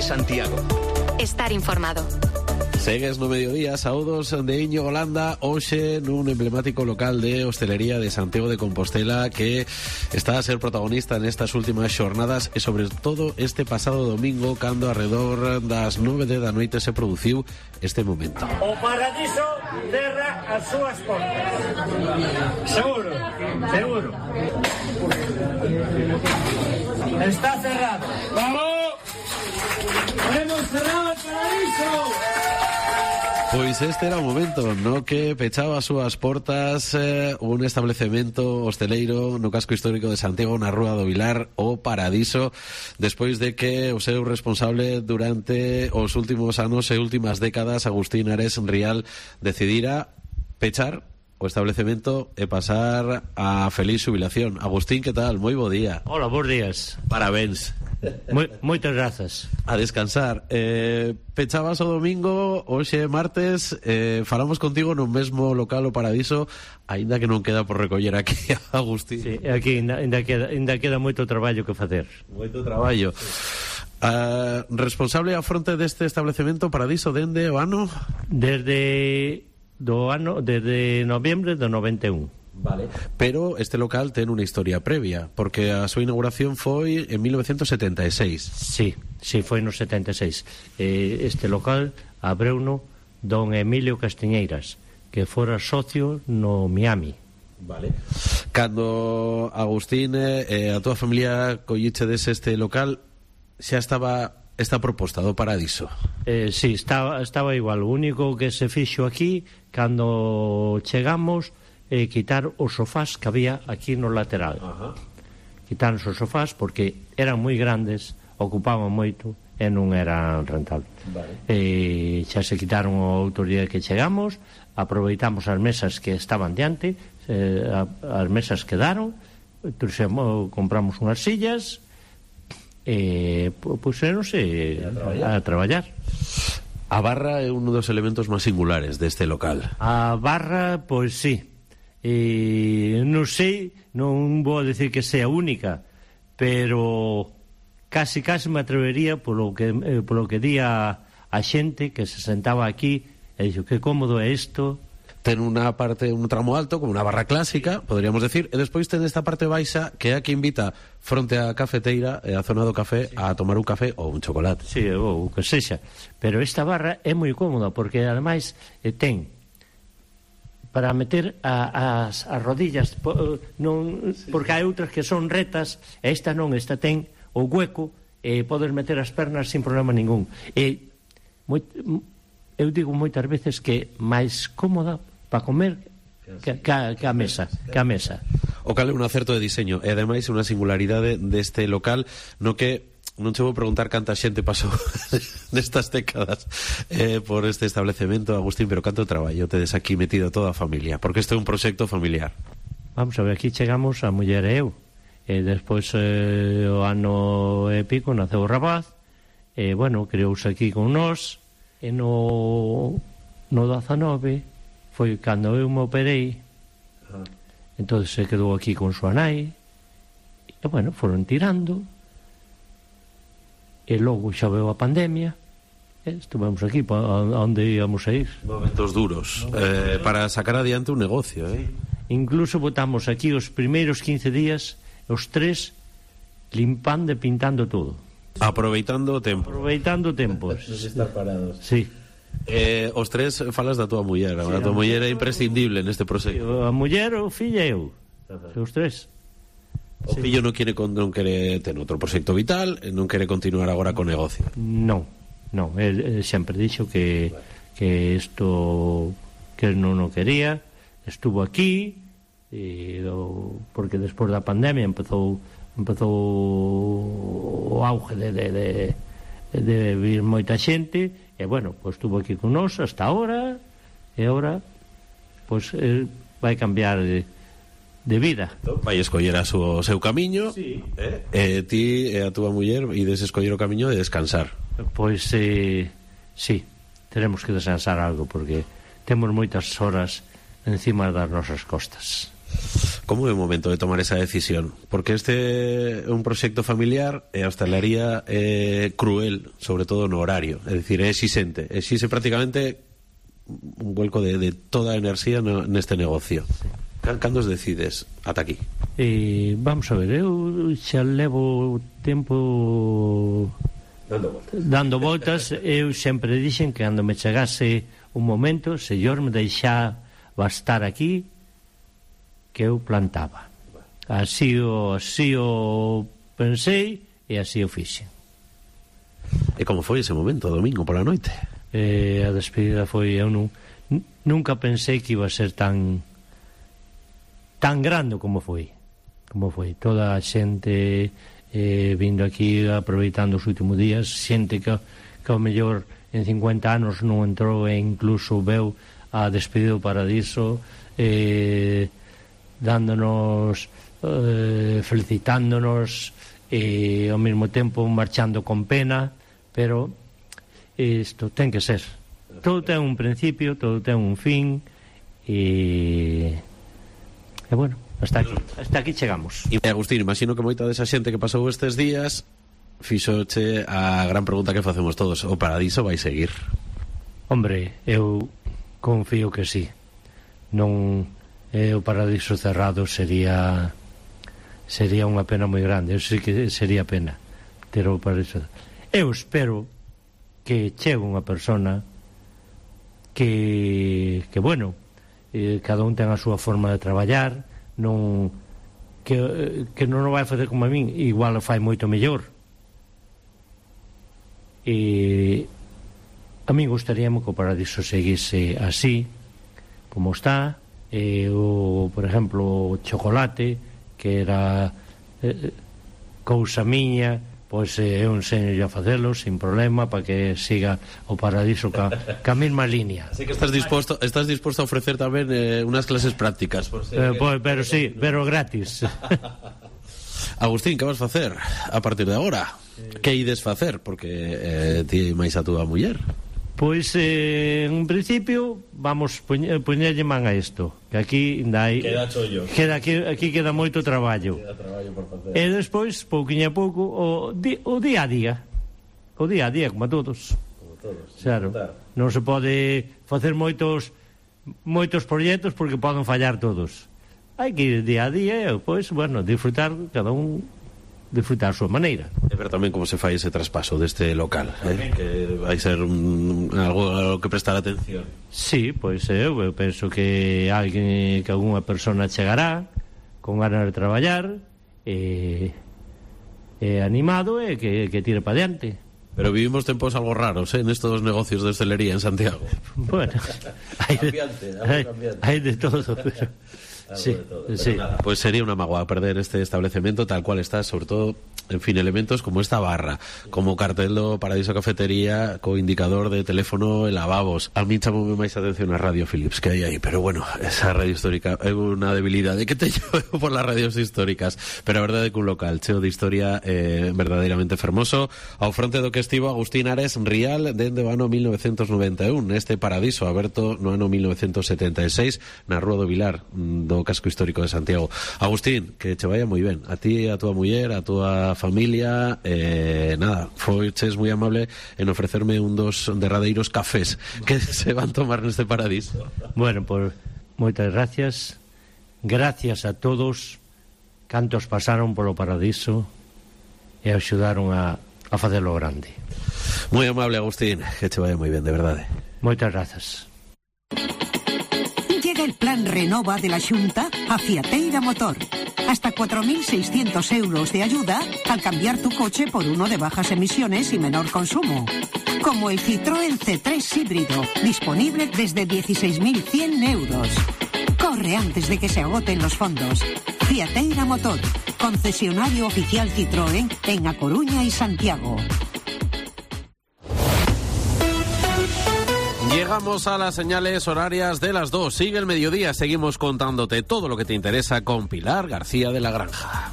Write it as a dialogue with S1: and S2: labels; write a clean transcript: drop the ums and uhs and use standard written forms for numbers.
S1: de Santiago.
S2: Estar informado.
S3: Segues no mediodía, saúdos de Íñigo Landa, hoxe nun emblemático local de hostelería de Santiago de Compostela que está a ser protagonista nestas últimas xornadas e sobre todo este pasado domingo cando alrededor das 9 da noite se produciu este momento.
S4: O Paradiso cerra as súas portas. Seguro, seguro. Está cerrado. ¡Vamos! ¡Hemos cerrado el Paradiso!
S3: Pois este era o momento no que pechaba as súas portas un establecemento hosteleiro no casco histórico de Santiago na Rúa do Vilar, o Paradiso, despois de que o seu responsable durante os últimos anos e últimas décadas, Agustín Ares Rial, decidira pechar o establecemento e pasar a feliz xubilación. Agustín, que tal? Moi bo día.
S5: Hola, bons días.
S3: Parabéns.
S5: Moitas grazas.
S3: A descansar. Pechabas o domingo, hoxe martes, falamos contigo no mesmo local, o Paradiso, aínda que non queda por recoller aquí, Agustín.
S5: Sí, aquí ainda queda moito traballo que facer.
S3: Moito traballo. Responsable á fronte deste establecemento Paradiso dende o ano?
S5: Desde noviembre do 91.
S3: Vale. Pero este local ten unha historia previa, porque a súa inauguración foi en 1976.
S5: Sí, foi no 76. Este local abreuno don Emilio Castiñeiras, que fora socio no Miami.
S3: Vale. Cando Agustín e a túa familia collichedes este local, xa estaba esta proposta do Paradiso?
S5: Sí, estaba igual. O único que se fixo aquí, cando chegamos, quitar os sofás que había aquí no lateral. Quitar os sofás porque eran moi grandes, ocupaban moito e non eran rentables. Vale. Xa se quitaron o outro día que chegamos, aproveitamos as mesas que estaban diante, as mesas quedaron, compramos unhas sillas e puseronse a traballar.
S3: A barra é un dos elementos máis singulares deste local.
S5: A barra, pois sí. Non sei, non vou a decir que sea única, pero casi me atrevería polo que di a xente que se sentaba aquí e dixo que cómodo é isto.
S3: Ten unha parte, un tramo alto, como unha barra clásica, poderíamos decir, e despois ten esta parte baixa que é a que invita fronte á cafeteira e a zona do café a tomar un café ou un chocolate.
S5: Sí, ou que sexa. Pero esta barra é moi cómoda porque ademais ten para meter as rodillas non, porque hai outras que son retas e esta non, esta ten o hueco e podes meter as pernas sin problema ningún. Eu digo moitas veces que máis cómoda para comer que a mesa.
S3: O cal é un acerto de diseño e ademais unha singularidade deste local no que non che vou preguntar canta xente pasou nestas décadas por este establecemento, Agustín, pero canto traballo tedes aquí metido toda a familia, porque este é un proxecto familiar.
S5: Vamos a ver, aquí chegamos a muller e eu, e despois o ano e pico naceu o rapaz, e bueno, creouse aquí con nós, e no 19 foi cando eu me operei, entón se quedou aquí con súa nai, e bueno, foron tirando, e logo xa veo a pandemia, estuvemos aquí onde íamos a ir.
S3: Momentos duros para sacar adiante un negocio,
S5: Incluso botamos aquí os primeiros 15 días, os tres limpando e pintando todo.
S3: Aproveitando o tempo.
S5: Aproveitando tempos.
S3: De estar parados.
S5: Sí.
S3: Os tres falas da tua muller, sí, a tua muller é imprescindible neste proxecto.
S5: A muller, o fillo e eu. Os tres.
S3: O fillo non quere ter outro proxecto vital, non quere continuar agora co negocio.
S5: Non, el sempre dixo que isto que non o quería, estuvo aquí porque despois da pandemia empezou o auge de vir moita xente e bueno, pois estuvo aquí con nós hasta ahora e agora pois vai cambiar de vida.
S3: Vai escoller o seu camiño,
S5: sí.
S3: Ti e a túa muller ides escoller o camiño de descansar.
S5: Pois sí, teremos que descansar algo porque temos moitas horas encima das nosas costas.
S3: Como é o momento de tomar esa decisión? Porque este é un proxecto familiar e a hostalería é cruel, sobre todo no horario. É dicir, é exixente prácticamente un vuelco de toda a enerxía neste negocio. Cando os decides ata aquí?
S5: Vamos a ver, eu xa levo tempo dando voltas. Eu sempre dixen que cando me chegase un momento, se yo me deixaba estar aquí, que eu plantaba. Así o pensei e así o fixe.
S3: E como foi ese momento, domingo pola noite?
S5: A despedida foi, eu nunca pensei que iba a ser tan grande como foi. Toda a xente vindo aquí, aproveitando os últimos días, xente que ao mellor en 50 anos non entrou e incluso veu a despedida do Paradiso, dándonos, felicitándonos, e ao mesmo tempo marchando con pena, pero isto ten que ser. Todo ten un principio, todo ten un fin, e bueno, hasta aquí chegamos.
S3: E Agustín, imagino que moita desa xente que pasou estes días fixoche a gran pregunta que facemos todos: o Paradiso vai seguir?
S5: Hombre, eu confío que sí. Non o Paradiso cerrado sería unha pena moi grande. Eu sei que sería pena ter o Paradiso. Eu espero que chegue unha persona que bueno, cada un ten a súa forma de traballar, que non o vai facer como a min, igual o fai moito mellor. E a min gustaríame que o Paradiso seguise así como está. Por exemplo, o chocolate, que era cousa miña, pois eu enseño a facelo sin problema para que siga o Paradiso ca mesma línea.
S3: Así que estás disposto a ofrecer tamén unas clases prácticas, por
S5: pero sí, pero gratis.
S3: Agustín, que vas facer a partir de agora? Que ides facer? Porque ti máis a túa muller.
S5: Pois, en principio, vamos poñerlle man a isto, que aquí ainda hai...
S3: Queda chollo.
S5: Aquí queda moito traballo.
S3: Queda traballo por facer.
S5: E despois, pouquinho a pouco, o día a día. O día a día, como a todos. Claro, non se pode facer moitos proxectos porque poden fallar todos. Hai que ir día a día e, pois, bueno, disfrutar, cada un disfrutar a súa maneira.
S3: E ver tamén como se fai ese traspaso deste local, que vai ser algo que prestar atención.
S5: Sí, pois eu penso que alguna persona chegará con ganas de traballar e animado e que tire para diante.
S3: Pero vivimos tempos algo raros, nestos negocios de hostelería en Santiago.
S5: Bueno, hai de todo, pero... Sí, sí.
S3: Pues sería una magua perder este establecimiento tal cual está, sobre todo, en fin, elementos como esta barra, como cartel do Paradiso Cafetería, co indicador de teléfono e lavabos. A mí chamoume máis atención a Radio Philips que hai aí, pero bueno, esa radio histórica é unha debilidade que teño por las radios históricas, pero a verdade é que un local cheo de historia verdadeiramente fermoso, ao fronte do que estivo Agustín Ares Rial dende o ano 1991, neste Paradiso aberto no ano 1976 na Rúa do Vilar do casco histórico de Santiago. Agustín, que che vaya moi ben, a ti, a tua muller, a tua familia, nada, foiches moi amable en ofrecerme un dos derradeiros cafés que se van tomar neste Paradiso.
S5: Bueno, pues moitas gracias a todos cantos pasaron polo Paradiso e axudaron a facelo grande.
S3: Moi amable, Agustín, que che vaya moi ben, de verdade.
S5: Moitas grazas.
S1: Llega el plan Renova de la Xunta a Fiateira Motor. Hasta 4.600 euros de ayuda al cambiar tu coche por uno de bajas emisiones y menor consumo. Como el Citroën C3 híbrido, disponible desde 16.100 euros. Corre antes de que se agoten los fondos. Fiateira Motor, concesionario oficial Citroën en A Coruña y Santiago.
S3: Llegamos a las señales horarias de las 2. Sigue el mediodía. Seguimos contándote todo lo que te interesa con Pilar García de la Granja.